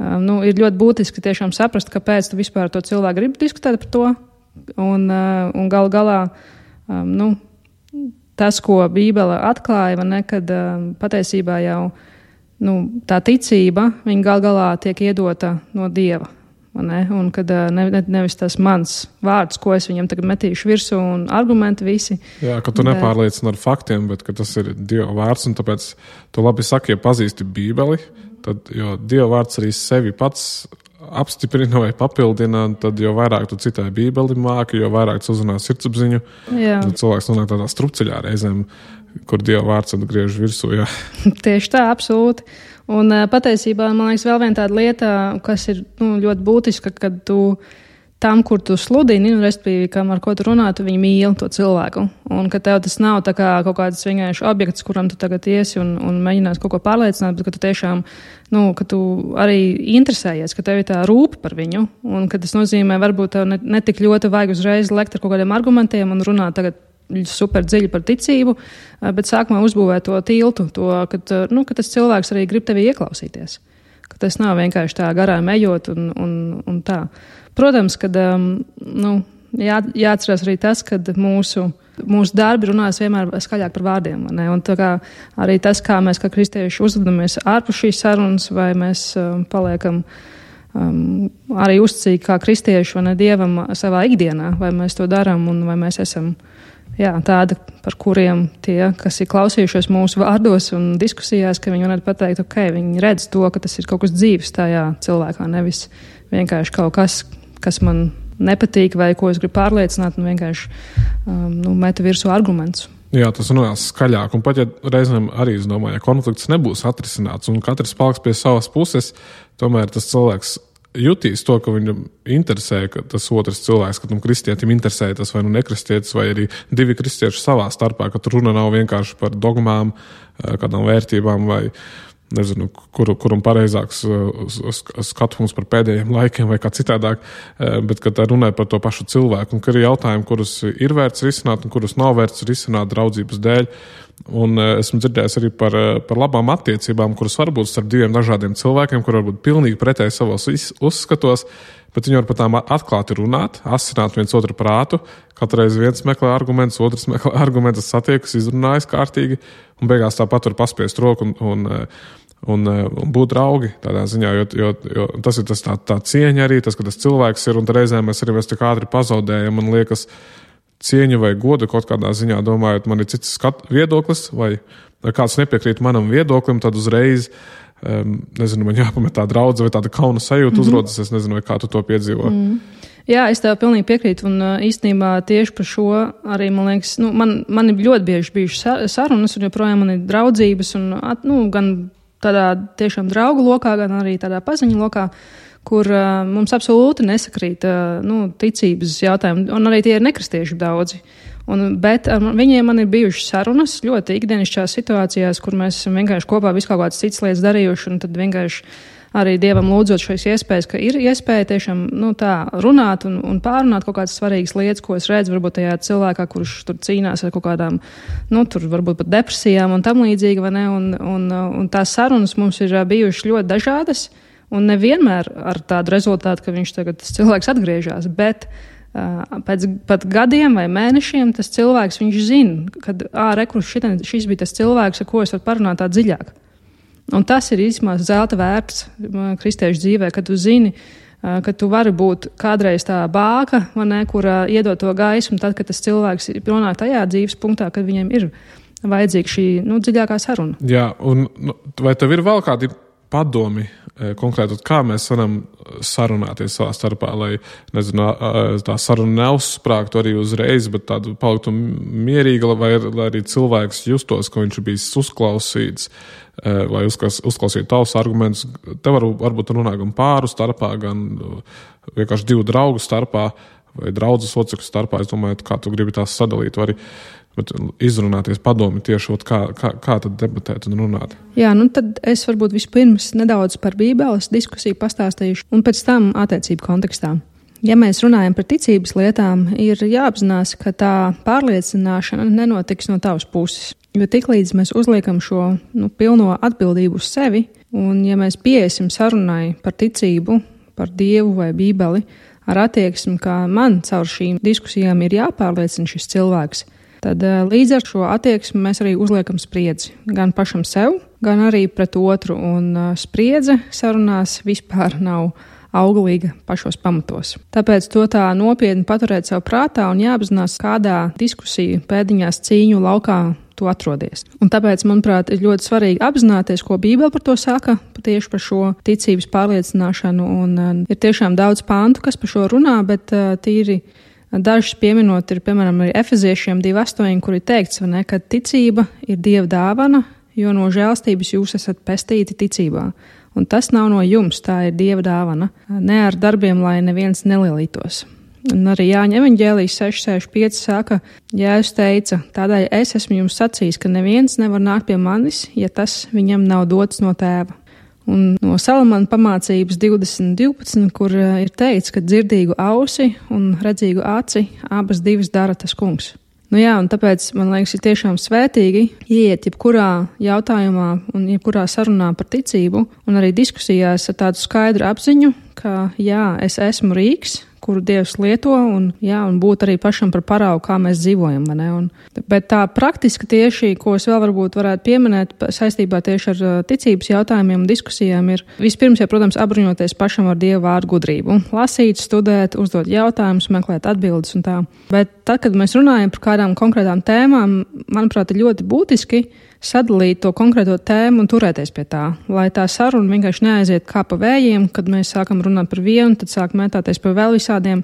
ir ļoti būtiski tiešām saprast, kāpēc tu vispār to cilvēku gribi diskutēt par to. Un gal galā, tas, ko Bībele atklāja, kad patiesībā jau tā ticība, viņa gal galā tiek iedota no Dieva. Un kad nevis tas mans vārds, ko es viņam tagad metīšu virsū un argumenti visi. Jā, ka tu nepārliecini ar faktiem, bet ka tas ir Dieva vārds, un tāpēc tu labi saki, ja pazīsti Bībeli, tad, jo Dieva vārds arī sevi pats apstiprina vai papildina, tad jo vairāk tu citai bībeli māki, jo vairāk tu uzrunā sirdsapziņu. Tad cilvēks nonāk tādā strupceļā reizēm, kur Dieva vārds atgriež virsū. Jā. Tieši tā, absolūti. Un patiesībā, man liekas, vēl viena tāda lieta, kas ir ļoti būtiska, kad tu tam, kur tu sludini, respektīvi, kam ar ko tu runā, tu viņu mīli, to cilvēku. Un ka tev tas nav tā kā kaut kāds vienkārši objekts, kuram tu tagad iesi un mēģinās kaut ko pārliecināt, bet ka tu tiešām, ka tu arī interesējies, ka tev ir tā rūpe par viņu, un ka tas nozīmē, varbūt tev ne tik ļoti vajag uzreiz lekt ar kaut kādiem argumentiem un runāt tagad super dziļi par ticību, bet sākumā uzbūvēt to tiltu, ka tas cilvēks arī grib tevi ieklausīties. Ka tas nav vienkārši tā garām ejot un tā. Protams, kad jāatcerās arī tas, ka mūsu darbi runās vienmēr skaļāk par vārdiem. Ne? Un tā kā arī tas, kā mēs kā kristieši uzvedamies ārpus šīs sarunas, vai mēs paliekam arī uzticīgi kā kristieši vai ne Dievam savā ikdienā, vai mēs to darām un vai mēs esam tādi, par kuriem tie, kas ir klausījušies mūsu vārdos un diskusijās, ka viņi varētu pateikt, viņi redz to, ka tas ir kaut kas dzīves tajā cilvēkā, nevis vienkārši kaut kas man nepatīk vai ko es gribu pārliecināt un vienkārši meta virsū argumentus. Jā, tas runās skaļāk, un pat ja reizēm arī, es domāju, ja konflikts nebūs atrisināts un katrs paliks pie savas puses, tomēr tas cilvēks jutīs to, ka viņam interesē, ka tas otrs cilvēks, ka tam kristietim interesē tas vai nekristietis, vai arī divi kristieši savā starpā, ka tur runa nav vienkārši par dogmām, kādām vērtībām vai nezinu, kuram pareizāks skatums par pēdējiem laikiem vai kā citādāk, bet ka tā runāja par to pašu cilvēku un ka ir jautājumi, kurus ir vērts risināt un kurus nav vērts risināt draudzības dēļ. Un esmu dzirdējis arī par labām attiecībām, kuras var būt starp diviem dažādiem cilvēkiem, kur var būt pilnīgi pretēji savos uzskatos, bet viņi var par tām atklāti runāt, asināt viens otru prātu, katreiz viens meklē argumentus, otrs meklē argumentus, satiekas, izrunājas kārtīgi, un beigās tāpat var paspiest roku un būt draugi tādā ziņā, jo tas ir tā cieņa arī, tas, ka tas cilvēks ir, un reizēm mēs arī tik ātri pazaudējam, man liekas, cieņu vai godu kaut kādā ziņā, domājot, man ir cits viedoklis, vai kāds nepiekrīt manam viedoklim, tad uzreiz, man jāpamet tā draudze vai tāda kauna sajūta uzrodas, es nezinu, vai kā tu to piedzīvo. Jā, es tev pilnīgi piekrītu, un īstenībā tieši par šo arī, man liekas, man ir ļoti bieži bijušas sarunas, un joprojām man ir draudzības, un gan tādā tiešām draugu lokā, gan arī tādā paziņu lokā, kur mums absolūti nesakrīt ticības jautājumi, un arī tie ir nekristieši daudzi. Bet viņiem man ir bijušas sarunas ļoti ikdienišķās situācijās, kur mēs esam vienkārši kopā visu kaut kādas citas lietas darījuši, un tad vienkārši arī Dievam lūdzot šīs iespējas, ka ir iespēja tiešām tā runāt un pārunāt kaut kādas svarīgas lietas, ko es redzu varbūt tajā cilvēkā, kurš tur cīnās ar kaut kādām, tur varbūt pat depresijām un tam līdzīgi, vai ne, un tās sarunas mums ir bijušas ļoti dažādas, un nevienmēr ar tādu rezultātu, ka tas cilvēks atgriežas, bet pēc pat gadiem vai mēnešiem tas cilvēks, viņš zina, kad šis bija tas cilvēks, ar ko es varu parunāt tā dziļāk. Un tas ir īstenībā zelta vērts kristiešu dzīvē, kad tu zini, ka tu vari būt kādreiz tā bāka, kur iedod to gaismu, tad, kad tas cilvēks nonāk tajā dzīves punktā, kad viņiem ir vajadzīga šī dziļākā saruna. Jā, un vai tev ir vēl kādi padomi konkrēti, kā mēs varam sarunāties savā starpā, lai, tā saruna neuzsprāgtu arī uzreiz, bet tādu paliktu mierīga, vai arī cilvēks justos, ka viņš ir bijis uzklausīts, vai uzklausīt tavus argumentus. Te varbūt runā gan pāru starpā, gan vienkārši divu draugu starpā, vai draudzes locekļu starpā. Es domāju, kā tu gribi tās sadalīt, vai arī bet izrunāties padomi tieši, kā tad debatēt un runāt. Jā, tad es varbūt vispirms nedaudz par Bībeles diskusiju pastāstīšu, un pēc tam attiecību kontekstā. Ja mēs runājam par ticības lietām, ir jāapzinās, ka tā pārliecināšana nenotiks no tavas puses. Jo tiklīdz mēs uzliekam šo pilno atbildību uz sevi, un ja mēs pieiesim sarunai par ticību, par Dievu vai Bībeli, ar attieksmi, ka man caur šīm diskusijām ir jāpārliecina šis cilvēks, tad līdz ar šo attieksmi mēs arī uzliekam spriedzi gan pašam sev, gan arī pret otru, un spriedze sarunās vispār nav auglīga pašos pamatos. Tāpēc to tā nopietni paturēt sev prātā un jāapzinās, kādā diskusiju pēdiņās cīņu laukā tu atrodies. Un tāpēc, manuprāt, ir ļoti svarīgi apzināties, ko Bībele par to saka, tieši par šo ticības pārliecināšanu. Un ir tiešām daudz pāntu, kas par šo runā, bet tīri dažus pieminot ir, piemēram, arī Efeziešiem 2:8, kur ir teikts, ka ticība ir Dieva dāvana, jo no žēlstības jūs esat pestīti ticībā. Un tas nav no jums, tā ir Dieva dāvana. Ne ar darbiem, lai neviens nelielītos. Un arī Jāņa evaņģēlijas 6:65 saka, Jēzus teica, tādēļ es esmu jums sacījis, ka neviens nevar nākt pie manis, ja tas viņam nav dots no tēva. Un no Salamana pamācības 20:12, kur ir teikts, ka dzirdīgu ausi un redzīgu aci abas divas dara tas kungs. Un tāpēc, man liekas, ir tiešām svētīgi ieiet jebkurā jautājumā un jebkurā sarunā par ticību un arī diskusijās ar tādu skaidru apziņu, ka es esmu rīks, kuru Dievs lieto, un būt arī pašam par paraugu, kā mēs dzīvojam. Bet tā praktiski tieši, ko es vēl varbūt varētu pieminēt saistībā tieši ar ticības jautājumiem un diskusijām, ir vispirms, protams, apbruņoties pašam ar Dieva vārdu gudrību. Lasīt, studēt, uzdot jautājumus, meklēt atbildes un tā. Bet tad, kad mēs runājam par kādām konkrētām tēmām, manuprāt, ir ļoti būtiski sadalīt to konkrēto tēmu un turēties pie tā, lai tā saruna vienkārši neaiziet kā pa vējiem, kad mēs sākam runāt par vienu, tad sāk mētāties par vēl visādiem.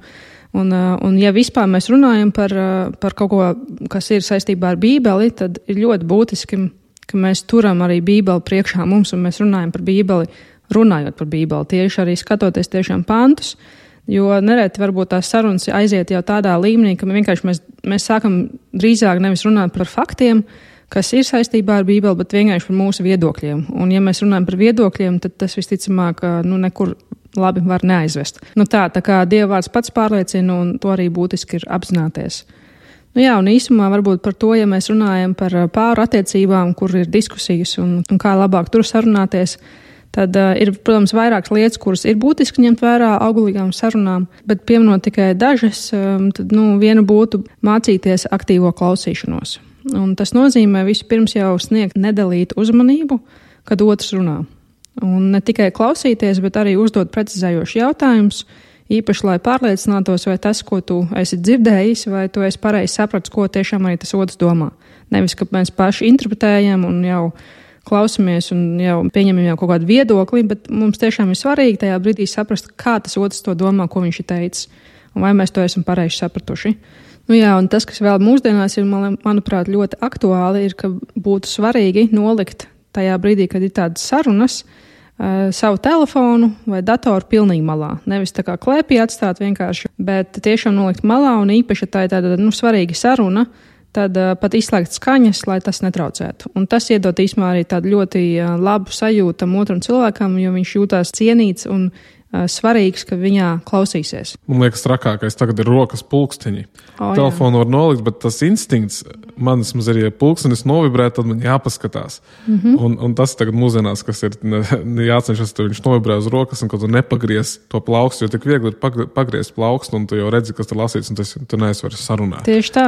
Un ja vispār mēs runājam par kaut ko, kas ir saistībā ar Bībeli, tad ir ļoti būtiski, ka mēs turam arī Bībeli priekšā mums un mēs runājam par Bībeli, runājot par Bībeli, tieši arī skatoties tiešām pantus, jo nereti varbūt tās sarunas aiziet jau tādā līmenī, ka vienkārši mēs sākam drīzāk nevis runāt par faktiem, kas ir saistībā ar Bībeli, bet vienkārši par mūsu viedokļiem. Un ja mēs runājam par viedokļiem, tad tas visticamāk nekur labi var neaizvest. Tā kā Dieva vārds pats pārliecina, un to arī būtiski ir apzināties. Un īsumā varbūt par to, ja mēs runājam par pāru attiecībām, kur ir diskusijas un kā labāk tur sarunāties, tad ir, protams, vairākas lietas, kuras ir būtiski ņemt vērā auglīgām sarunām, bet pieminot tikai dažas, tad viena būtu mācīties aktīvo klausīšanos. Un tas nozīmē vispirms jau sniegt nedalītu uzmanību, kad otrs runā. Un ne tikai klausīties, bet arī uzdot precizējošus jautājumus, īpaši, lai pārliecinātos, vai tas, ko tu esi dzirdējis, vai tu esi pareizi sapratis, ko tiešām arī tas otrs domā. Nevis, ka mēs paši interpretējam un jau klausamies un jau pieņemam jau kaut kādu viedokli, bet mums tiešām ir svarīgi tajā brīdī saprast, kā tas otrs to domā, ko viņš ir teicis, un vai mēs to esam pareizi sapratuši. Un tas, kas vēl mūsdienās ir, manuprāt, ļoti aktuāli, ir, ka būtu svarīgi nolikt tajā brīdī, kad ir tādas sarunas, savu telefonu vai datoru pilnīgi malā. Nevis tā kā klēpī atstāt vienkārši, bet tiešām nolikt malā, un īpaši tā ir tāda svarīga saruna, tad pat izslēgt skaņas, lai tas netraucētu. Un tas iedod īsumā arī tādu ļoti labu sajūtu tam otram cilvēkam, jo viņš jūtās cienīts un svarīgs, ka viņā klausīsies. Man liekas, trakākais tagad ir rokas pulksteņi. Telefonu var nolikt, bet tas instinkts man vismaz arī, ja pulkstenis novibrē, tad man jāpaskatās. Un tas tagad mūsdienās, kas ir jācenšas, tad viņš novibrē uz rokas un kad tu nepagries to plaukstu, jo tik viegli ir pagriezt plaukstu un tu jau redzi, kas tur lasīts un tu neesi vairs sarunāt. Tieši tā.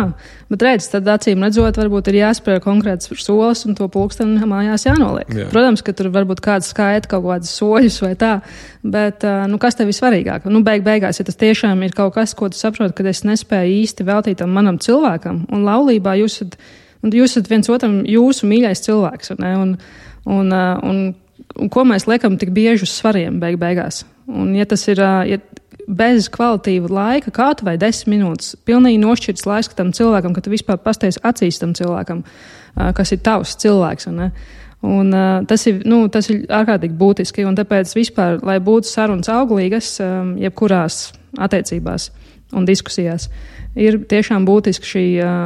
Bet redz, tad acīm redzot, varbūt ir jāspēr konkrēts solis un to pulksteni mājās jānoliek. Jā. Protams, ka tur varbūt kāds skaita kaut kādus soļus vai tā, bet kas tev ir svarīgāk? Beigās, ja tas tiešām ir kaut kas, ko tu saproti, kad es nespēju īsti veltīt tam manam cilvēkam, un laulībā jūs esat viens otram jūsu mīļais cilvēks, un ko mēs liekam tik bieži uz svariem beigās. Un ja tas ir bez kvalitīva laika, kādu vai 10 minūtes, pilnīgi nošķirts laiks tam cilvēkam, ka tu vispār pasties acīs tam cilvēkam, kas ir tavs cilvēks, Un tas ir ārkārtīgi būtiski, un tāpēc vispār, lai būtu sarunas auglīgas, jebkurās attiecībās un diskusijās, ir tiešām būtiski šī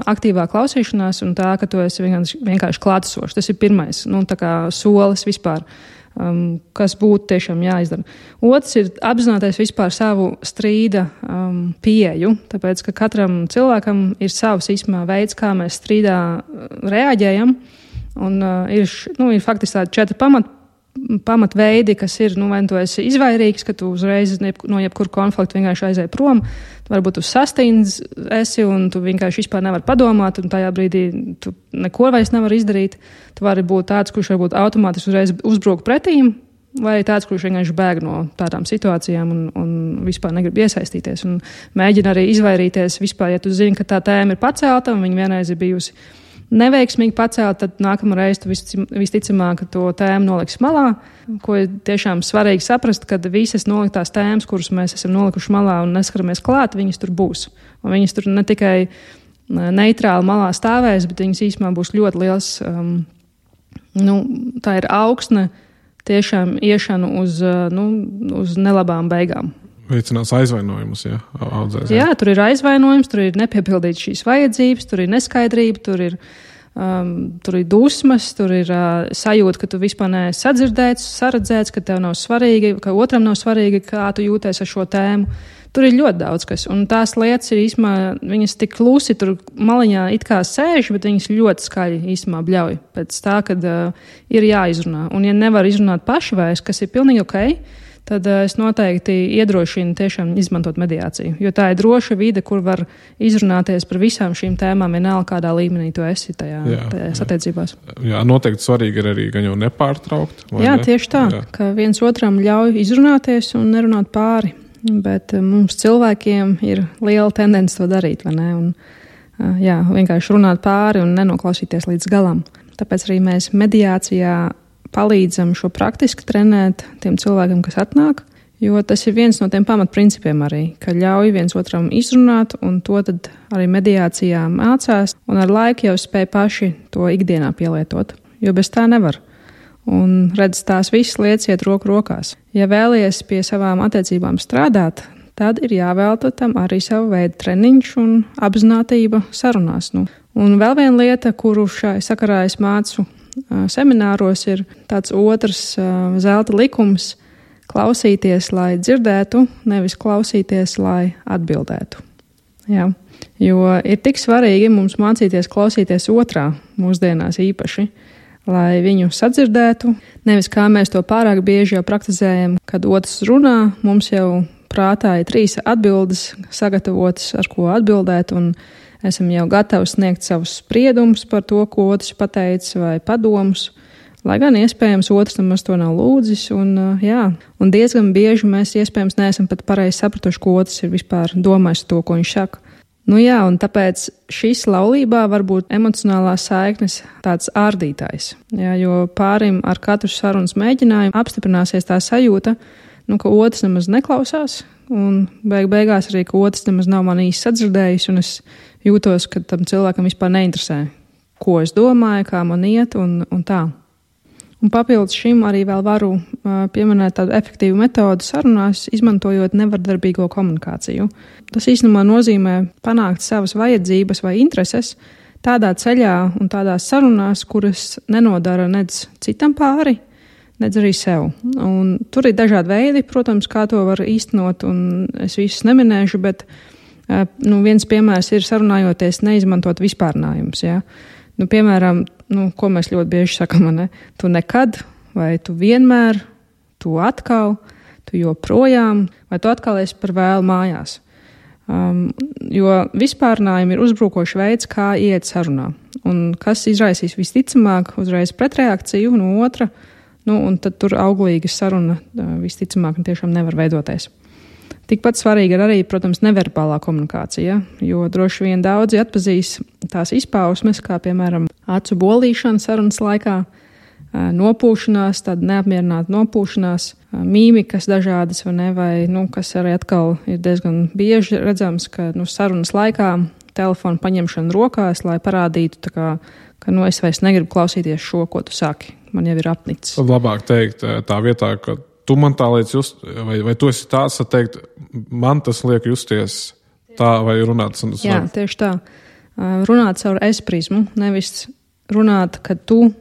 aktīvā klausīšanās un tā, ka tu esi vienkārši klātesošs. Tas ir pirmais, tā kā solis vispār, kas būtu tiešām jāizdara. Otrs ir apzināties vispār savu strīda pieeju, tāpēc, ka katram cilvēkam ir savs veids, kā mēs strīdā reaģējam. Un ir faktiski tādi 4 pamatveidi, kas ir, vai tu esi izvairīgs, ka tu uzreiz no jebkura konflikta vienkārši aizēji prom, tu varbūt tu sastīns esi un tu vienkārši vispār nevar padomāt, un tajā brīdī tu neko vairs nevar izdarīt. Tu vari būt tāds, kurš varbūt automātiski uzreiz uzbrūk pretīm, vai tāds, kurš vienkārši bēg no tādām situācijām un vispār negrib iesaistīties, un mēģina arī izvairīties vispār, ja tu zini, ka tā tēma ir pacelta, un viņa vienreiz ir bijusi neveiksmīgi pacēla, tad nākamreiz tu visticamāk to tēmu noliks malā, ko ir tiešām svarīgi saprast, ka visas noliktās tēmas, kuras mēs esam nolikuši malā un neskaramies klāt, viņas tur būs. Un viņas tur ne tikai neitrāli malā stāvēs, bet viņas īstenībā būs ļoti liels, tā ir augsne tiešām iešanu uz nelabām beigām. Veicinās aizvainojumus, audzēs. Jā, tur ir aizvainojums, tur ir nepiepildīts šīs vajadzības, tur ir neskaidrība, tur ir dusmas, tur ir sajūta, ka tu vispār neesi sadzirdēts, saredzēts, ka tev nav svarīgi, ka otram nav svarīgi, kā tu jūties ar šo tēmu. Tur ir ļoti daudz kas, un tās lietas ir īstenībā, viņas tik klusi tur maliņā it kā sēž, bet viņas ļoti skaļi īstenībā bļauj pēc tā, kad ir jāizrunā. Un ja nevar izrunāt paši vairs, kas ir pilnīgi okei, tad es noteikti iedrošinu tiešām izmantot mediāciju, jo tā ir droša vide, kur var izrunāties par visām šīm tēmām, vienalga kādā līmenī tu esi tajās attiecībās. Jā, noteikti svarīgi ir arī gan jau nepārtraukt. Jā, tieši tā, ka viens otram ļauj izrunāties un nerunāt pāri, bet mums cilvēkiem ir liela tendence to darīt, vai ne? Un, vienkārši runāt pāri un nenoklausīties līdz galam. Tāpēc arī mēs mediācijā palīdzam šo praktiski trenēt tiem cilvēkiem, kas atnāk, jo tas ir viens no tiem pamatprincipiem arī, ka ļauj viens otram izrunāt, un to tad arī mediācijā mācās, un ar laiku jau spēj paši to ikdienā pielietot, jo bez tā nevar. Un redz, tās visas lietas iet roku rokās. Ja vēlies pie savām attiecībām strādāt, tad ir jāvelta tam arī savu veidu treniņš un apzinātība sarunās. Un vēl viena lieta, kuru šai sakarā es mācu semināros, ir tāds otrs zelta likums – klausīties, lai dzirdētu, nevis klausīties, lai atbildētu. Jā. Jo ir tik svarīgi mums mācīties klausīties otrā mūsdienās īpaši, lai viņu sadzirdētu, nevis kā mēs to pārāk bieži jau praktizējam, kad otrs runā, mums jau prātā ir 3 atbildes sagatavotas, ar ko atbildēt, un esam jau gatavi sniegt savus spriedumus par to, ko otrs pateicis vai padomus, lai gan iespējams otrs nemaz to nav lūdzis, un diezgan bieži mēs iespējams neesam pat pareizi sapratuši, ko otrs ir vispār domājis to, ko viņš saka. Un tāpēc šīs laulībā var būt emocionālās saiknes tāds ārdītājs, jo pārim ar katru sarunas mēģinājumu apstiprināsies tā sajūta, ka otrs nemaz neklausās, un beigās arī, ka otrs nemaz nav man īsti sadzirdējis, un es jūtos, ka tam cilvēkam vispār neinteresē, ko es domāju, kā man iet, un tā. Un papildus šim arī vēl varu pieminēt tādu efektīvu metodu sarunās, izmantojot nevardarbīgo komunikāciju. Tas īstenībā nozīmē panākt savas vajadzības vai intereses tādā ceļā un tādās sarunās, kuras nenodara nedz citam pāri, nedz arī sev. Un tur ir dažādi veidi, protams, kā to var īstenot, un es visus neminēšu, bet viens piemērs ir sarunājoties neizmantot vispārnājumus, piemēram, ko mēs ļoti bieži sakam, ne? Tu nekad, vai tu vienmēr, tu atkal, tu joprojām, vai tu atkal esi par vēlu mājās. Jo vispārnājumi ir uzbrukošs veids, kā iet sarunā. Un kas izraisīs visticamāk uzreiz pretreakciju no otra, un tad tur auglīga saruna visticamāk tiešām nevar veidoties. Tikpat svarīga ir arī, protams, neverbālā komunikācija, jo droši vien daudzi atpazīs tās izpausmes, kā piemēram acu bolīšana sarunas laikā, nopūšanās, tāda neapmierināta nopūšanās, mīmikas dažādas, vai kas arī atkal ir diezgan bieži redzams, ka sarunas laikā telefonu paņemšana rokās, lai parādītu, ka es vairs negribu klausīties šo, ko tu saki, man jau ir apnicis. Tad labāk teikt tā vietā, ka tu man tā liec just, vai tu esi tāds, tad teikt, man tas liek justies tā, vai runāt. Jā, tieši tā. Runāt caur es prizmu, nevis runāt, ka tu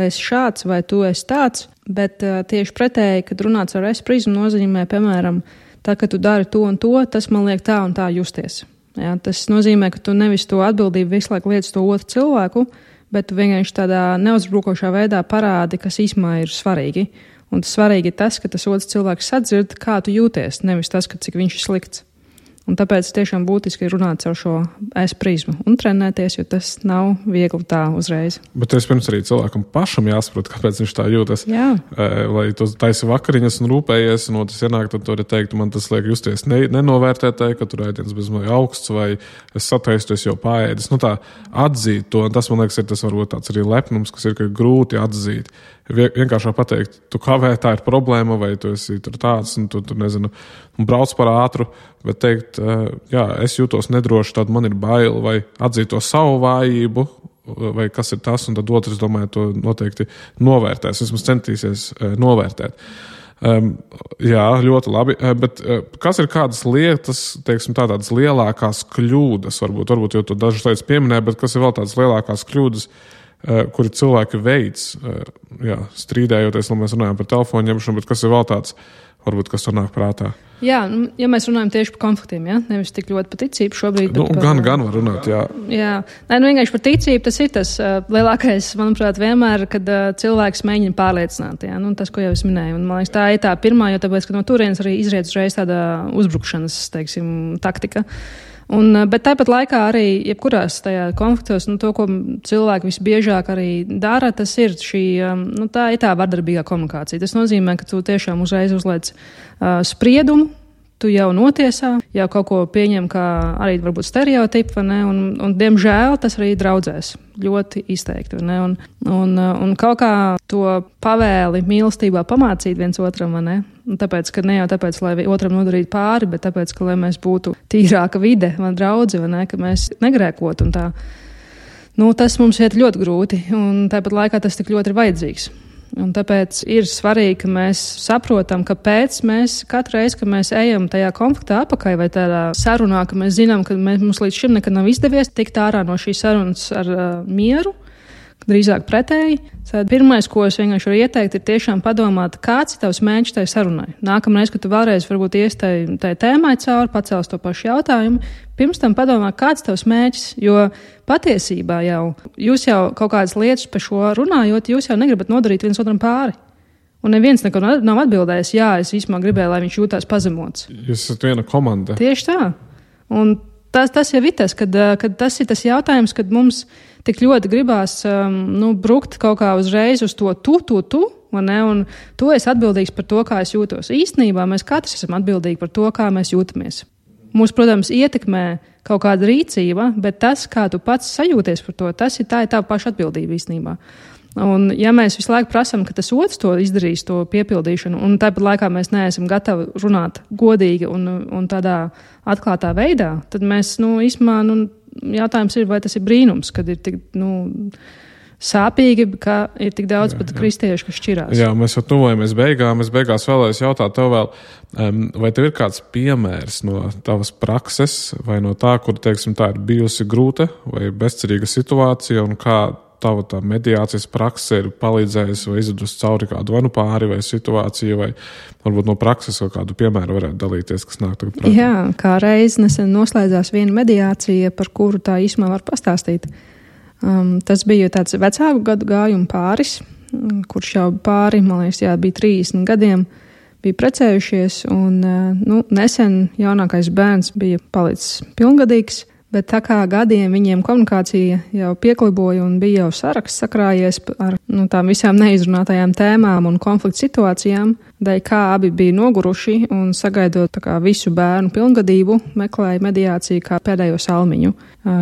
esi šāds vai tu esi tāds, bet tieši pretēji, kad runāt caur es prizmu nozīmē, piemēram, tā, ka tu dari to un to, tas man liek tā un tā justies. Jā, tas nozīmē, ka tu nevis to atbildību visu laiku liec to otru cilvēku, bet tu vienkārši tādā neuzbrukošā veidā parādi, kas īsumā ir svarīgi. Un tas svarīgi ir tas, ka tas otrs cilvēks sadzird, kā tu jūties, nevis tas, ka cik viņš ir slikts. Un tāpēc tiešām būtiski ir runāt caur šo es prizmu un trenēties, jo tas nav viegli tā uzreiz. Bet vispirms arī cilvēkam pašam jāsaprot, kāpēc viņš tā jūtas. Jā. Lai tu taisi vakariņas un rūpējies, un otrs ienāk, tad tu arī teiktu, man tas liek justies nenovērtētāji, ka tur ēdiens bezmaz augsts, vai es sataistu, es jau paēdis. Nu tā atzīt to, un tas, man liekas, ir tas varbūt tāds arī lepnums, kas ir grūti atzīt. Vienkāršāk pateikt, tu kavē, tā ir problēma, vai tu esi tur tāds, un tu nezinu, un brauc par ātru, bet teikt, jā, es jūtos nedroši, tad man ir bail, vai atzīt to savu vājību, vai kas ir tas, un tad otrs, domāju, to noteikti novērtēs, vismaz centīsies novērtēt. Jā, ļoti labi, bet kas ir kādas lietas, teiksim, tādas lielākās kļūdas, varbūt jau tu dažas lietas pieminēji, bet kas ir vēl tādas lielākās kļūdas, kuri cilvēki veids, strīdējoties, lai mēs runājam par telefonu ņemšanu, bet kas ir vēl tāds, varbūt, kas tur nāk prātā? Jā, ja mēs runājam tieši par konfliktiem, ja? Nevis tik ļoti par ticību šobrīd. Gan var runāt, jā. Jā, vienkārši par ticību tas ir tas lielākais, manuprāt, vienmēr, kad cilvēks mēģina pārliecināt, jā, tas, ko jau es minēju. Un, man liekas, tā ir tā pirmā, jo tāpēc, ka no turienes arī izriet uzreiz tāda uzbrukšanas, teiksim, taktika. Bet tāpat laikā arī jebkurās tajā konfliktos, to, ko cilvēki visbiežāk arī dara, tas ir tā ir tā vardarbīgā komunikācija. Tas nozīmē, ka tu tiešām uzreiz uzliec spriedumu, tu jau notiesā, jau kaut ko pieņem kā arī varbūt stereotipu, un diemžēl tas arī draudzēs ļoti izteikti, un kaut kā to pavēli mīlestībā pamācīt viens otram, tāpēc, ka ne jau tāpēc, lai otram nodarītu pāri, bet tāpēc, ka lai mēs būtu tīrāka vide, draudzi, ka mēs negrēkotu, un tā. Tas mums iet ļoti grūti, un tāpat laikā tas tik ļoti ir vajadzīgs. Un tāpēc ir svarīgi, ka mēs saprotam, kāpēc mēs katru reizi, kad mēs ejam tajā konfliktā apakai vai tādā sarunā, ka mēs zinām, ka mums līdz šim nekad nav izdevies tikt ārā no šīs sarunas ar mieru, drīzāk pretēji. Pirmais, ko es vienkārši varu ieteikt, ir tiešām padomāt, kāds ir tavs mērķis tai sarunai. Nākamreiz, kad tu vēlreiz varbūt ies tai tēmai cauri, pacels to pašu jautājumu, pirms tam padomā, kāds tavs mērķis, jo patiesībā jūs jau kaut kādas lietas par šo runājot, jūs jau negribat nodarīt viens otram pāri. Un neviens neko nav atbildējis, jā, es īstenībā gribēju, lai viņš jūtās pazemots. Jūs esat viena komanda. Tieši tā. Un tas jau ir tas, kad tas ir tas jautājums, kad mums tik ļoti gribās brukt kaut kā uzreiz uz to tu, un tu esi atbildīgs par to, kā es jūtos. Īstenībā mēs katrs esam atbildīgi par to, kā mēs jūtamies. Mūs, protams, ietekmē kaut kāda rīcība, bet tas, kā tu pats sajūties par to, tā ir tava paša atbildība īstenībā. Un ja mēs visu laiku prasam, ka tas otrs to izdarīs, to piepildīšanu, un tāpat laikā mēs neesam gatavi runāt godīgi un tādā atklātā veidā, tad mēs, īstenībā, jautājums ir, vai tas ir brīnums, kad ir tik, sāpīgi, ka ir tik daudz pat kristiešu, kas šķirās. Jā, mēs jau tuvojamies beigām. Es beigās vēlējos jautāt tev vēl, vai tev ir kāds piemērs no tavas prakses vai no tā, kur, teiksim, tā ir bijusi grūta vai bezcerīga situācija, un kā tava tā mediācijas prakse ir palīdzējusi vai izvedusi cauri kādu vanu pāri vai situāciju, vai varbūt no prakses kaut kādu piemēru varētu dalīties, kas nāk tagad prātā. Jā, kā reiz nesen noslēdzās viena mediācija, par kuru tā īsumā var pastāstīt. Tas bija tāds vecāku gadu gājumu pāris, kurš jau pāri, man liekas, bija 30 gadiem, bija precējušies, un nesen jaunākais bērns bija palicis pilngadīgs. Bet tā kā gadiem viņiem komunikācija jau piekliboja un bija jau saraksts sakrājies ar tām visām neizrunātajām tēmām un konflikta situācijām, dēļ kā abi bija noguruši un sagaidot visu bērnu pilngadību, meklēja mediāciju kā pēdējo salmiņu,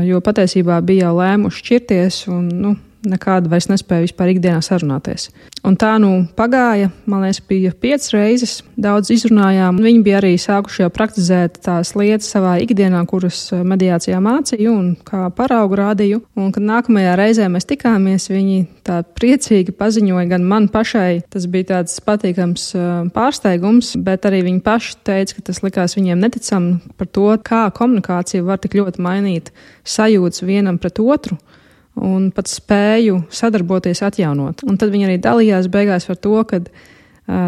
jo patiesībā bija jau lēmuši šķirties un nekādu vairs nespēja vispār ikdienā sarunāties. Un tā pagāja, man liekas, bija 5 reizes, daudz izrunājām. Viņi bija arī sākuši jau praktizēt tās lietas savā ikdienā, kuras mediācijā mācīju un kā paraugu rādīju. Un, kad nākamajā reizē mēs tikāmies, viņi tā priecīgi paziņoja gan man pašai, tas bija tāds patīkams pārsteigums, bet arī viņi paši teica, ka tas likās viņiem neticami par to, kā komunikācija var tik ļoti mainīt sajūtas vienam pret otru. Un pat spēju sadarboties, atjaunot. Un tad viņi arī dalījās beigās par to, ka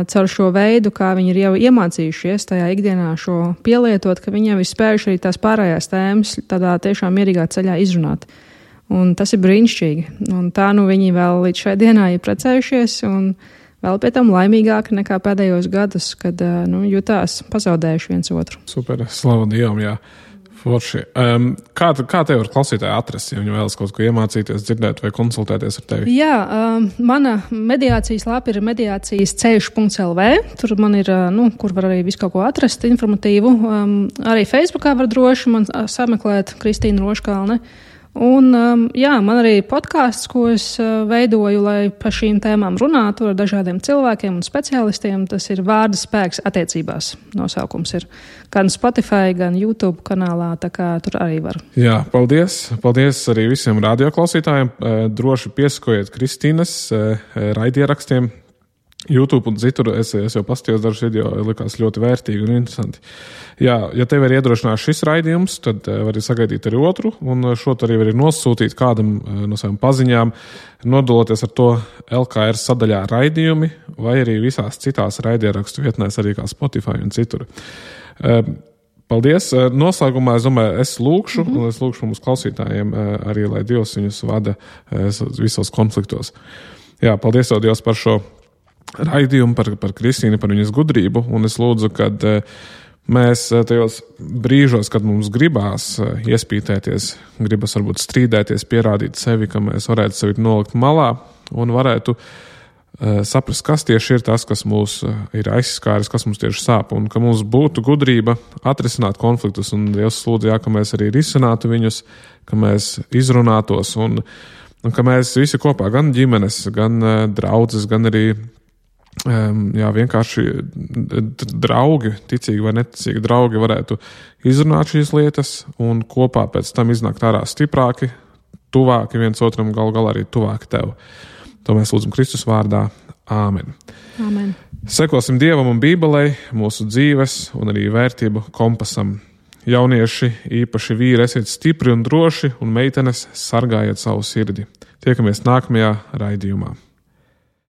caur šo veidu, kā viņi ir jau iemācījušies tajā ikdienā šo pielietot, ka viņi jau ir spējuši arī tās pārējās tēmas tādā tiešām mierīgā ceļā izrunāt. Un tas ir brīnišķīgi. Un tā viņi vēl līdz šai dienā ir precējušies un vēl pie tam laimīgāki nekā pēdējos gadus, kad jutās pazaudējuši viens otru. Super, slavu Dievam, jā. Forši. Kā tev var klausītāji atrast, ja viņi vēlas kaut ko iemācīties, dzirdēt vai konsultēties ar tevi? Jā, mana mediācijas lapa ir mediācijas-ceļš.lv. Tur man ir, kur var arī visu kaut ko atrast informatīvu. Arī Facebookā var droši man sameklēt Kristīna Roškalne. Un, man arī podkāsts, ko es veidoju, lai par šīm tēmām runātu ar dažādiem cilvēkiem un speciālistiem. Tas ir Vārda spēks attiecībās. Nosaukums ir gan Spotify, gan YouTube kanālā, tā kā tur arī var. Jā, paldies. Paldies arī visiem radioklausītājiem. Droši piesakojiet Kristīnas raidierakstiem. YouTube un citur es jau paskatījos dažus video, likās ļoti vērtīgi un interesanti. Jā, ja tev ir iedrošinājis šis raidījums, tad vari sagaidīt arī otru, un šo arī var nosūtīt kādam no savām paziņām, nodaloties ar to LKR sadaļā raidījumi, vai arī visās citās raidierakstu vietnēs, arī kā Spotify un citur. Paldies. Noslēgumā es lūkšu, un es lūkšu mums klausītājiem arī, lai Dievs viņus vada visos konfliktos. Jā, paldies tev, Dievs, par šo raidījumu, par Kristīnu, par viņas gudrību, un es lūdzu, kad mēs tajos brīžos, kad mums gribās iespītēties, gribas varbūt strīdēties, pierādīt sevi, ka mēs varētu sevi nolikt malā un varētu saprast, kas tieši ir tas, kas mūs ir aizskāris, kas mums tieši sāp, un ka mums būtu gudrība atrisināt konfliktus, un Dievs lūdzu, ka mēs arī risinātu viņus, ka mēs izrunātos, un ka mēs visi kopā, gan ģimenes, gan draudzes, gan arī vienkārši draugi, ticīgi vai neticīgi draugi varētu izrunāt šīs lietas un kopā pēc tam iznākt ārā stiprāki, tuvāki viens otram, galu galā arī tuvāki tev. To mēs lūdzam Kristus vārdā. Āmen. Amen. Sekosim Dievam un Bībelei, mūsu dzīves un arī vērtību kompasam. Jaunieši, īpaši vīri, esiet stipri un droši, un meitenes sargājiet savu sirdi. Tiekamies nākamajā raidījumā.